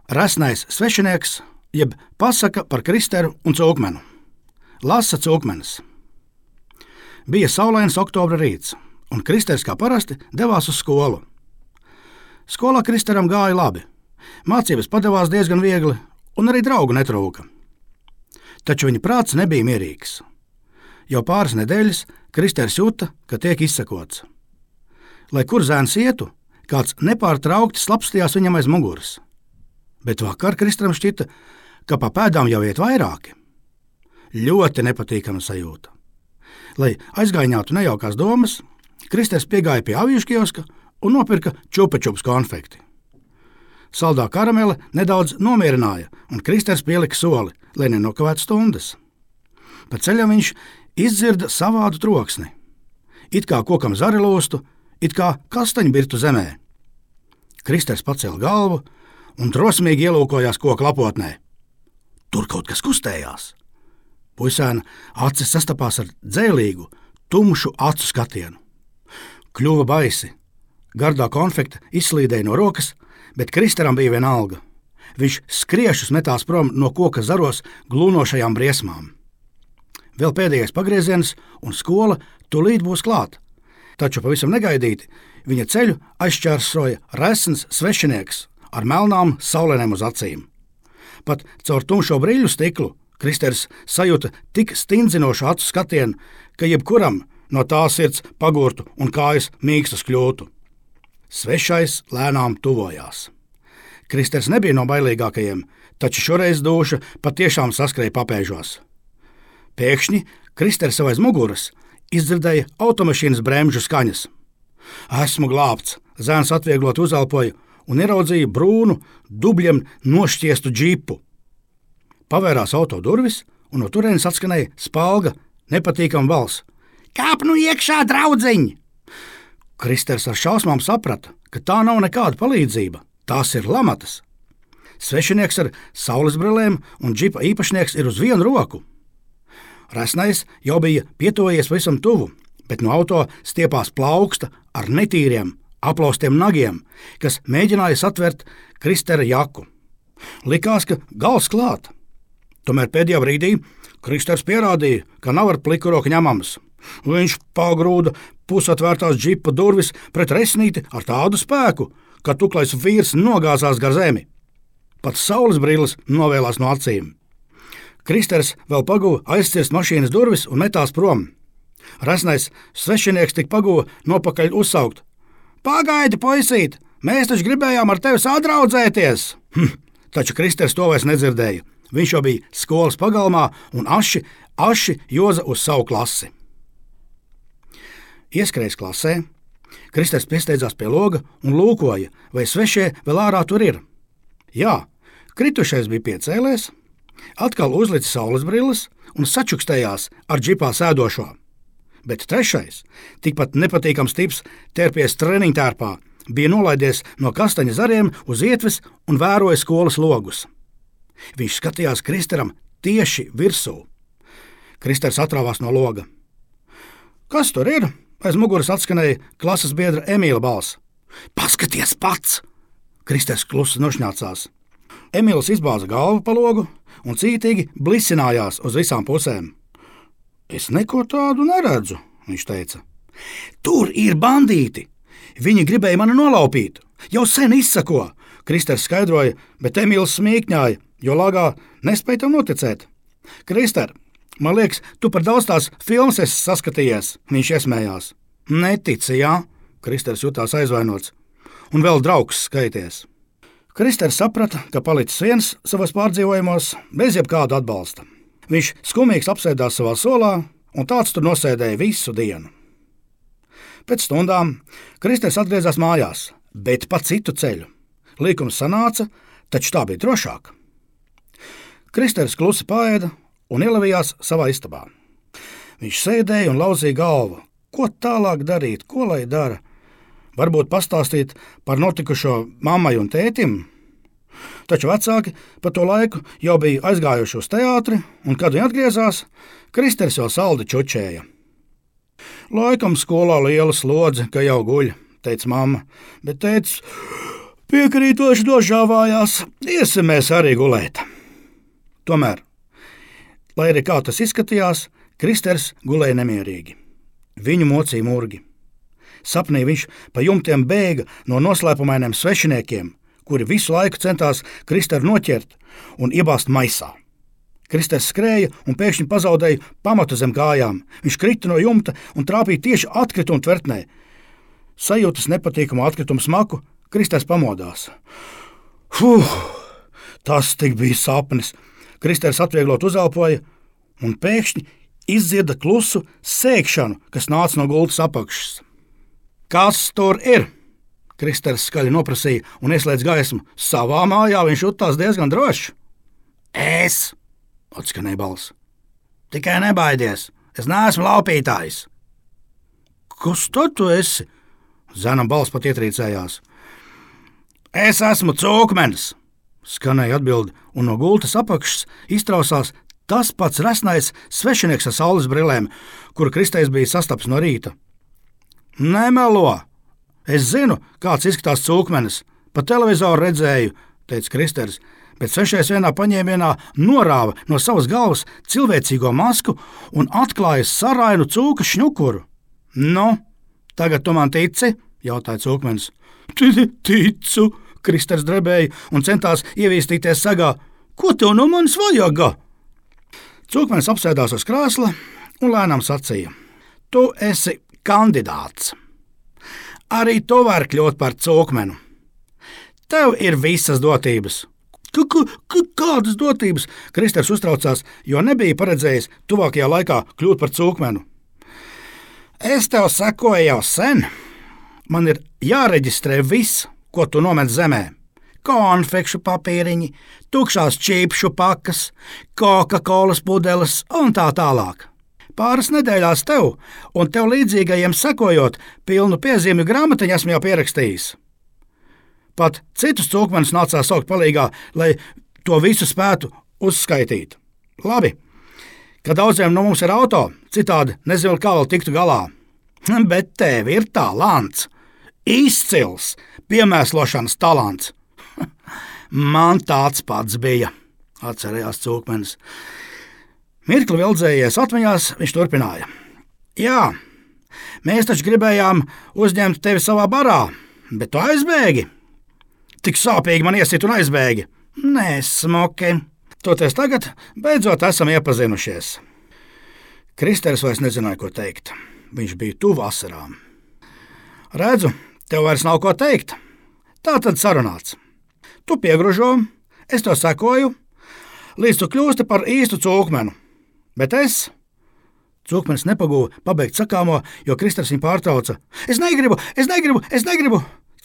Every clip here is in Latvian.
Resnais svešinieks, jeb pasaka par Kristeru un Cūkmenu. Lasa Cūkmenis. Bija saulains oktobra rīts, un Kristers kā parasti devās uz skolu. Skolā Kristeram gāja labi. Mācības padevās diezgan viegli, un arī draugu netrūka. Taču viņa prāts nebija mierīgs. Jau pāris nedēļas Kristers jūta, ka tiek izsekots. Lai kur zēns ietu, kāds nepārtraukti slapstījās viņam aiz muguras. Bet vakar Kristeram šķita, ka pa pēdām jau iet vairāki. Ļoti nepatīkama sajūta. Lai aizgaiņātu nejaukās domas, Kristers piegāja pie avīšu kioska un nopirka čupa-čups konfekti. Saldā karamele nedaudz nomierināja, un Kristers pielika soli, lai nenokavētu stundas. Pa ceļam viņš izdzirda savādu troksni. It kā kokam zari lūstu, it kā kastaņu birtu zemē. Kristers pacēla galvu un drosmīgi ielūkojās koka lapotnē. Tur kaut kas kustējās. Puisēna acis sastapās ar dzēlīgu, tumšu acu skatienu. Kļuva baisi. Gardā konfekta izslīdēja no rokas, bet Kristeram bija vienalga. Viņš skriešus metās prom no koka zaros glūnošajām briesmām. Vēl pēdējais pagrieziens, un skola tūlīt būs klāt. Taču pavisam negaidīti viņa ceļu aizšķērsoja resns svešinieks ar melnām saulēnēm uz acīm. Pat caur tumšo brīļu stiklu Kristers sajūta tik stindzinošu acu skatienu, ka jebkuram no tā sirds pagurtu un kājas mīkstas kļūtu. Svešais lēnām tuvojās. Kristers nebija no bailīgākajiem, taču šoreiz dūša patiešām saskrēja papēžos. Pēkšņi Kristers sev aiz muguras izdzirdēja automašīnas bremžu skaņas. Esmu glābts, zēns atvieglot uzelpoja un ieraudzīja brūnu, dubļiem nošķiestu džipu. Pavērās auto durvis, un no turienes atskanēja spalga, nepatīkama balss. Kāp nu iekšā, draudziņ! Kristers ar šausmām saprata, ka tā nav nekāda palīdzība, tās ir lamatas. Svešinieks ar saulesbrillēm un džipa īpašnieks ir uz vienu roku. Resnais jau bija pietuvojies visam tuvu, bet no auto stiepās plauksta ar netīriem, aplaustiem nagiem, kas mēģināja satvert Kristera jaku. Likās, ka gals klāt. Tomēr pēdējā brīdī Kristers pierādīja, ka nav ar pliku roku ņemams. Viņš pagrūda pusatvērtās džipa durvis pret resnīti ar tādu spēku, ka tuklais vīrs nogāzās gar zemi. Pat saules brilles novēlās no acīm. Kristers vēl paguva aizcirst mašīnas durvis un metās prom. Resnais svešinieks tik paguva nopakaļ uzsaukt. Pagaidi, puisīt, mēs taču gribējām ar tevi sadraudzēties! Taču Kristers to vairs nedzirdēja. Viņš jau bija skolas pagalmā un aši joza uz savu klasi. Ieskrējis klasē, Kristers piesteidzās pie loga un lūkoja, vai svešie vēl ārā tur ir. Jā, kritušais bija piecēlies, atkal uzlicis saulesbrilles un sačukstējās ar džipā sēdošo. Bet trešais, tikpat nepatīkams tips tērpies treniņtērpā, bija nolaidies no kastaņa zariem uz ietves un vēroja skolas logus. Viņš skatījās Kristeram tieši virsū. Kristers atrāvās no loga. Kas tur ir? Aiz muguras atskanēja klases biedra Emīla balss. Paskaties pats! Kristers klusi nošņācās. Emīls izbāza galvu pa logu un cītīgi blisinājās uz visām pusēm. Es neko tādu neredzu, viņš teica. Tur ir bandīti! Viņi gribēja mani nolaupīt. Jau sen izsako, Kristers skaidroja, bet Emīls smīkņāja, jo lagā nespēja tam noticēt. Krister, man liekas, tu par daudz tās filmas esi saskatījies, viņš iesmējās. Netici, jā? Kristers jutās aizvainots. Un vēl draugs skaities. Kristers saprata, ka palicis viens savas pārdzīvojumos bez jebkāda atbalsta. Viņš skumīgs apsēdās savā solā, un tāds tur nosēdēja visu dienu. Pēc stundām Kristers atgriezās mājās, bet pa citu ceļu. Līkums sanāca, taču tā bija drošāk. Kristers klusi paēda un ielavījās savā istabā. Viņš sēdēja un lauzīja galvu. Ko tālāk darīt, ko lai dara? Varbūt pastāstīt par notikušo mammai un tētim? Taču vecāki pa to laiku jau bija aizgājuši uz teātri, un, kad viņi atgriezās, Kristers jau saldi čučēja. Laikam skolā liela slodze, ka jau guļ, teica mamma, bet tētis Piekrītoši nožāvājās, iesim mēs arī gulēt. Tomēr, lai arī kā tas izskatījās, Kristers gulēja nemierīgi. Viņu mocīja murgi. Sapnī viņš pa jumtiem bēga no noslēpumainiem svešiniekiem, kuri visu laiku centās Kristeru noķert un iebāzt maisā. Kristers skrēja un pēkšņi pazaudēja pamatu zem kājām. Viņš krita no jumta un trāpīja tieši atkrituma tvertnē. Sajūtas nepatīkamu atkritumu smaku, Kristers pamodās. Tas tik bija sapnis. Kristers atvieglot uzelpoja un pēkšņi izdzirda klusu sēkšanu, kas nāca no gultas apakšas. Kas tur ir? Kristers skaļi noprasīja un ieslēdz gaismu. Savā mājā viņš jutās diezgan drošs. Es, atskanēja balss. Tikai nebaidies, es neesmu laupītājs. Kas tad tu esi? Zenam balss pat ietrīcējās. Es esmu cūkmenis, skanēja atbildi, un no gultas apakšas iztrausās tas pats resnais svešinieks ar saules brillēm, kuru Kristers bija sastaps no rīta. Nemelo! Es zinu, kāds izskatās cūkmenis. Pa televizoru redzēju, teica Kristers, bet svešais vienā paņēmienā norāva no savas galvas cilvēcīgo masku un atklāja sarainu cūka šņukuru. Nu, tagad tu man tici? Jautāja cūkmenis. Ticu, Kristers drebēja un centās ievīstīties sagā. Ko tev no manis vajag? Cūkmenis apsēdās uz krēsla un lēnām sacīja. Tu esi kandidāts. Arī tu vari kļūt par cūkmenu. Tev ir visas dotības. Kādas dotības? Kristers uztraucās, jo nebija paredzējis tuvākajā laikā kļūt par cūkmenu. Es tev sekoju jau sen. Man ir jāreģistrē viss, ko tu nomet zemē. Konfekšu papīriņi, tukšās čīpšu pakas, Coca-Colas pudeles un tā tālāk. Pāris nedēļās tev un tev līdzīgajiem sekojot, pilnu piezīmju grāmatiņu esmu jau pierakstījis. Pat citus cūkmenus nācās saukt palīgā, lai to visu spētu uzskaitīt. Labi, ka daudziem no mums ir auto, citādi nezinu, kā vēl tiktu galā. Bet tev ir talants, izcils piemēslošanas talants. Man tāds pats bija, atcerējās cūkmenis. Mirkli vildzējies atmiņās, viņš turpināja. Jā, mēs taču gribējām uzņemt tevi savā barā, bet tu aizbēgi. Tik sāpīgi man iesit un aizbēgi. Nē, smuki. Toties tagad beidzot esam iepazinušies. Kristers vairs nezināja, ko teikt. Viņš bija tuvu asarām. Redzu, tev vairs nav ko teikt. Tā tad sarunāts. Tu piegružo, es to sekoju, līdz tu kļūsti par īstu cūkmenu. Bet es... Cūkmenis nepagūva pabeigt sakāmo, jo Kristers viņu pārtrauca. Es negribu!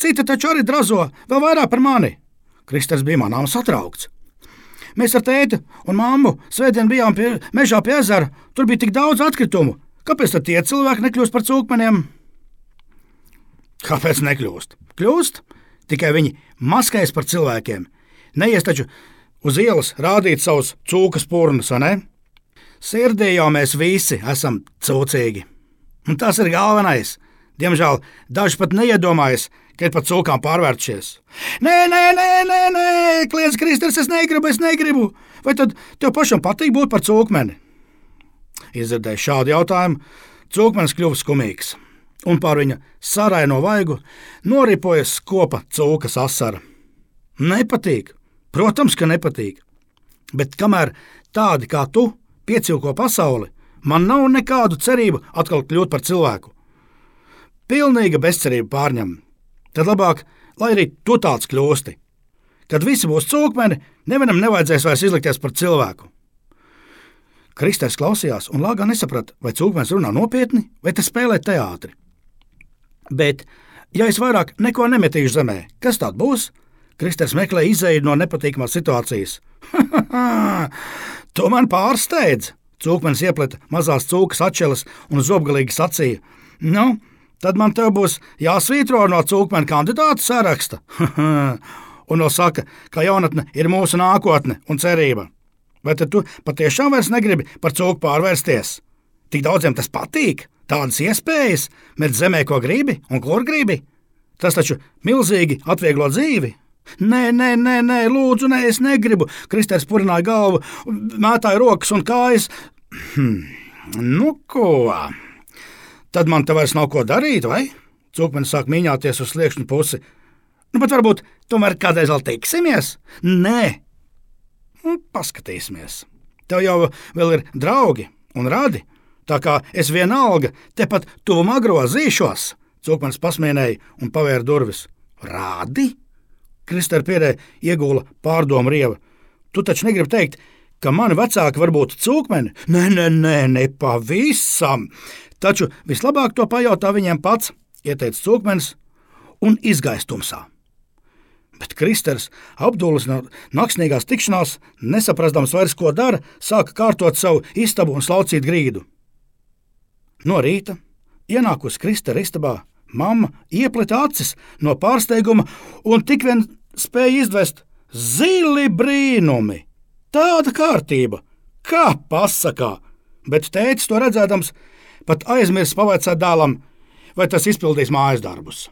Citi taču arī drazo, vēl vairāk par mani. Kristers bija manām satraukts. Mēs ar tēti un mammu svētdien bijām mežā pie ezera, tur bija tik daudz atkritumu. Kāpēc tad tie cilvēki nekļūst par cūkmeniem? Kāpēc nekļūst? Kļūst, tikai viņi maskējas par cilvēkiem. Neies taču uz ielas rādīt savus cūkas purnus, vai ne? Sirdī jau mēs visi esam cūcīgi. Un tas ir galvenais. Diemžēl daži pat neiedomājas, ka ir pat cūkām pārvērtušies. Nē, kliedz Kristers, es negribu. Vai tad tev pašam patīk būt par cūkmeni? Izdzirdēju šādu jautājumu, cūkmenis kļuva skumīgs, un pār viņa saraino vaigu noripoja skopa cūkas asara. Nepatīk, protams, ka nepatīk, bet kamēr tādi kā tu piecilko pasauli, man nav nekādu cerību atkal kļūt par cilvēku. Pilnīga bezcerība pārņem. Tad labāk, lai arī tu tāds kļūsti. Kad visi būs cūkmeni, nevienam nevajadzēs vairs izlikties par cilvēku. Kristers klausījās un lāgā nesaprata, vai cūkmenis runā nopietni, vai te spēlē teātri. Bet, ja es vairāk neko nemetīšu zemē, kas tād būs? Kristers meklē izēju no nepatīkamās situācijas. Tu man pārsteidz! Cūkmenis iepleta mazās cūkas atšķeles un zobgalīgi sacīja. Nu, tad man tev būs jāsvītro no cūkmena kandidātu saraksta. Un vēl saka, ka jaunatne ir mūsu nākotne un cerība. Vai tad tu patiešām vairs negribi par cūku pārvērsties? Tik daudziem tas patīk, tādas iespējas, met zemē, ko gribi un kur gribi. Tas taču milzīgi atvieglo dzīvi. Nē, lūdzu, nē, es negribu. Kristers purināja galvu, mētāja rokas un kājas. Nu, ko? Tad man te vairs nav ko darīt, vai? Cūkmenis sāk mīņāties uz sliekšņu pusi. Nu, bet varbūt tomēr kādreiz vēl tiksimies? Nē. Paskatīsimies. Tev jau vēl ir draugi un radi, tā kā es vienalga tepat tuvumā grozīšos. Cūkmenis pasmienēja un pavēra durvis. Rādi? Kristera pierē iegula pārdomu rieva. Tu taču negribi teikt, ka mani vecāki var būt cūkmeni? Nē, pavisam. Taču vislabāk to pajautā viņiem pats, ieteica cūkmenis un izgāja tumsā. Bet Kristers, apdulis no naksnīgās tikšanās, nesaprastams vairs, ko dara, sāka kārtot savu istabu un slaucīt grīdu. No rīta, ienākusi Kristera istabā, mamma iepleta acis no pārsteiguma un tik vien spēja izdvest zili brīnumi. Tāda kārtība, kā pasakā, bet tētis to redzēdams pat aizmirst pavaicāt dēlam, vai tas izpildīs mājas darbus.